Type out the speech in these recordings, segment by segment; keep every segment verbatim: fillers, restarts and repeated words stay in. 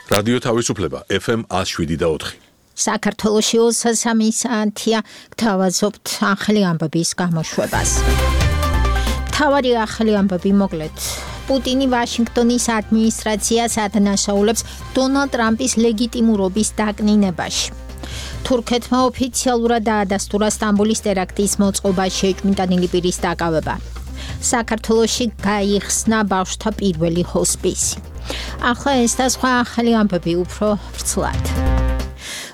რადიო თავისუფლება ეფ ემ one oh seven და four. საქართველოში ოცდასამი საათია გთავაზობთ ახალი ამბების გამოშვებას. მთავარი ახალი ამბები მოკლედ. პუტინი ვაშინგტონის ადმინისტრაციას ადანაშაულებს დონალდ ტრამპის ლეგიტიმურობის დაკნინებაში. თურქეთმა ოფიციალურად დაადასტურა სტამბოლის ტერაქტის მოწყობა შეჭმიტანილი პირის დაკავება. საქართველოში გაიხსნა ბავშვთა პირველი ჰოსპისი. ახლა ეს და სხვა ახალი ამბები უფრო ვრცლად.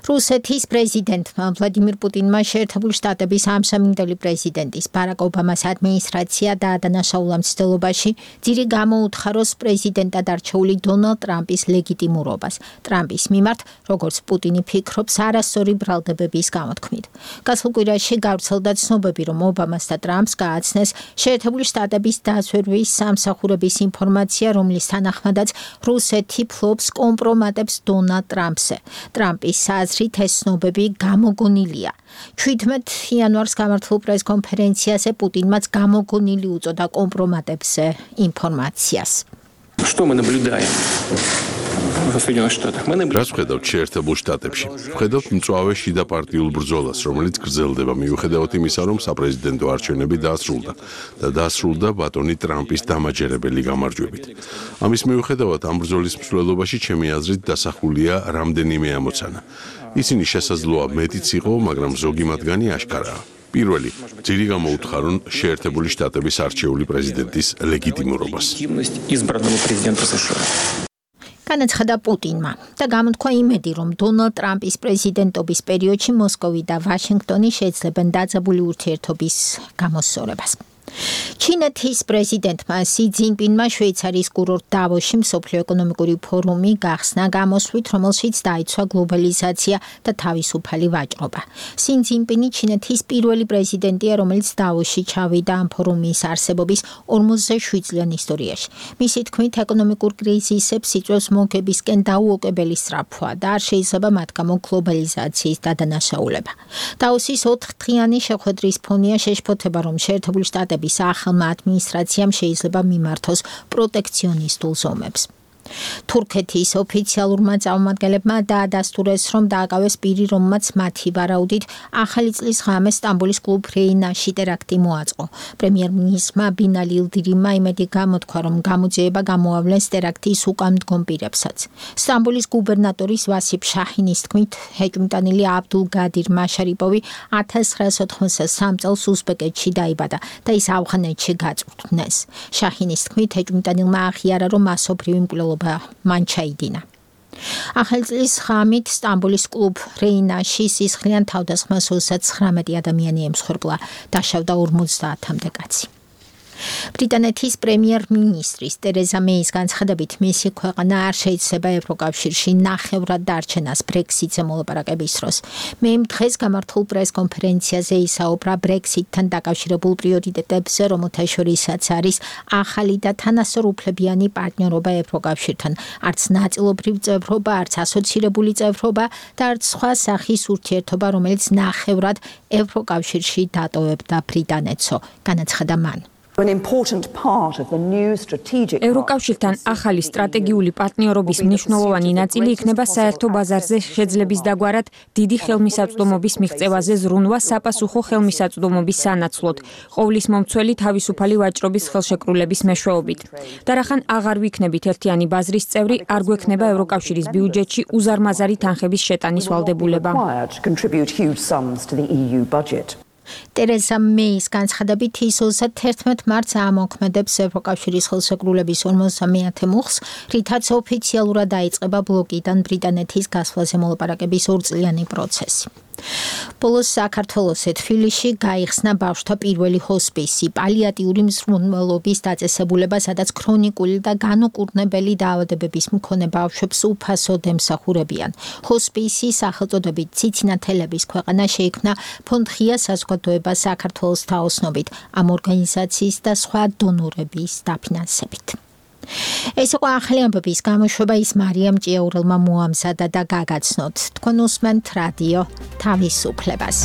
რუსეთის პრეზიდენტმა ვლადიმირ პუტინმა შეერთებული შტატების ამსამინდელი პრეზიდენტის ბარაკ ობამას ადმინისტრაცია დაადანაშაულა მცდელობაში, ძირი გამოუთხაროს პრეზიდენტად არჩეული დონალდ ტრამპის ლეგიტიმურობას. ტრამპის მიმართ, როგორც პუტინი ფიქრობს, არასწორი ბრალდებების გამოთქმით. გასულ კვირაში გავრცელდა ცნობები, რომ ობამას და ტრამპს გააცნეს შეერთებული შტატების დაზვერვის სამსახურების ინფორმაცია, რომლის თანახმადაც რუსეთი ფლობს კომპრომატებს დონალდ ტრამპზე. ტრამპის აზრით ეს ცნობები გამოგონილია. შვიდმეტ იანვარს გამართულ პრესკონფერენციაზე პუტინმაც გამოგონილი უწოდა კომპრომატებზე ინფორმაციას. Что мы наблюдаем в Соединенных Штатах? Мы наблюдаем. რას ვხედავთ შეერთებულ შტატებში? ვხედავთ მწვავე შიდა პარტიულ ბრძოლას, რომელიც გრძელდება მიუხედავად იმისა, რომ საპრეზიდენტო არჩევნები დაასრულდა და დაასრულდა ბატონი ტრამპის დამაჯერებელი გამარჯვებით. ამის მიუხედავად ამ ბრძოლის მსვლელობაში ჩემი აზრით დასახულია რამდენიმე ამოცანა. ისინი შესაძლოა მეტიც იყო, მაგრამ ზოგი მათგანი აშკარაა. პირველი, ძირი გამოუთხარონ შეერთებული შტატების არჩეული პრეზიდენტის ლეგიტიმურობას. განაცხადა პუტინმა და გამოთქვა იმედი, რომ დონალდ ტრამპის პრეზიდენტობის პერიოდში მოსკოვი და ვაშინგტონი შეძლებენ დაძაბული ურთიერთობის გამოსწორებას. ჩინეთის პრეზიდენტმა სი ძინპინმა შვეიცარიის კურორტ დავოში მსოფლიო ეკონომიკური ფორუმი გახსნა გამოსვლით, რომელშიც დაიცვა გლობალიზაცია და თავისუფალი ვაჭრობა. სი ძინპინი ჩინეთის პირველი პრეზიდენტია, რომელიც დავოში ჩავიდა ამ ფორუმის არსებობის ორმოცდაშვიდ წლიან ისტორიაში. მისი თქმით, ეკონომიკურ კრიზისებს იწვევს მოგებისკენ დაუოკებელი სწრაფვა და არ შეიძლება მათ გამო გლობალიზაციის დადანაშაულება. დავოსის ოთხდღიანი შეხვედრის ფონია შეშფოთება, რომ შეერთებული შტატები ახალმა ადმინისტრაციამ შეიძლება მიმართოს პროტექციონისტულ ზომებს. თურქეთის ოფიციალურმა წარმომადგენლებმა დაადასტურეს, რომ დააკავეს პირი, რომელმაც მათი ვარაუდით ახალი წლის ღამეს სტამბოლის კლუბ რეინაში ტერაქტი მოაწყო. პრემიერ-მინისტრმა ბინალი ილდირიმმა იმედი გამოთქვა, რომ გამოძიება გამოავლენს ტერაქტის უკანდგომ პირებსაც. სტამბოლის გუბერნატორის ვასიფ შაჰინის თქმით, ჰეჭმიტანილი აბდულ გადირ მაშარიპოვი ათას ცხრაასი ოთხმოცდასამ წელს უზბეკეთში დაიბადა და ის ავღანეთში გაწვრთნეს. შაჰინის თქმით, ჰეჭმიტანილმა აღიარა, რომ მასობრივი მკვლელობა მან ჩაიდინა. ახალი წლის ღამით სტამბოლის კლუბ რეინაში სისხლიან თავდასხმას ოცდათხრამეტი ადამიანი ემსხვერპლა, დაშავდა ორმოცდაათამდე კაცი. ბრიტანეთის პრემიერ-მინისტრის ტერეზა მეის განცხადებით, მისი ქვეყანა არ შეიძლება ევროკავშირში ნახევრად დარჩენას ბრექსიტზე მოლაპარაკების დროს. მეიმ დღეს გამართულ პრესკონფერენციაზე ისაუბრა ბრექსიტთან დაკავშირებულ პრიორიტეტებზე, რომელთა შორისაც არის ახალი და თანასწორუფლებიანი პარტნიორობა ევროკავშირთან, არც ნაწილობრივ წევრობა, არც ასოცირებული წევრობა და არც სხვა სახის ურთიერთობა, რომელიც ნახევრად ევროკავშირში დატოვებდა ბრიტანეთსო, განაცხადა მან. ევროკავშირთან ახალი სტრატეგიული პარტნიორობის მნიშვნელოვანი ნაწილი იქნება საერთო ბაზარზე შეძლების დაგვარად დიდი ხელმისაწვდომობის მიღწევაზე ზრუნვა საპასუხო ხელმისაწვდომობის სანაცვლოდ, ყოვლის მომცველი თავისუფალი ვაჭრობის ხელშეკრულების მეშვეობით. და რახან აღარ ვიქნებით ერთიანი ბაზრის წევრი, არ გვექნება ევროკავშირის ბიუჯეტში უზარმაზარი თანხების შეტანის ვალდებულება. ტერეზა მეის განცხადებით, ის ოცდათერთმეტ მარტს ამოქმედებს ევროკავშირის ხელშეკრულების ორმოცდამეათე მუხლს, რითაც ოფიციალურად დაიწყება ბლოკიდან ბრიტანეთის გასვლაზე მოლაპარაკების ორწლიანი პროცესი. ბოლოს საქართველოსე თბილისში გაიხსნა ბავშვთა პირველი ჰოსპისი, პალიატიური მზრუნველობის დაწესებულება, სადაც ქრონიკული და განუკურნებელი დაავადებების მქონე ბავშვებს უფასოდ ემსახურებიან. ჰოსპისი სახელწოდებით ციცინათელების ქვეყანა შეიქმნა ფონდ ღია საზოგადოება საქართველოს თაოსნობით, ამ ორგანიზაციის და სხვა დონორების დაფინანსებით. ეს იყო ახალი ამბების გამოშვება, ის მარიამ ჭიაურელმა მოამზადა და გაგაცნოთ. თქვენ უსმენთ რადიო თავისუფლებას.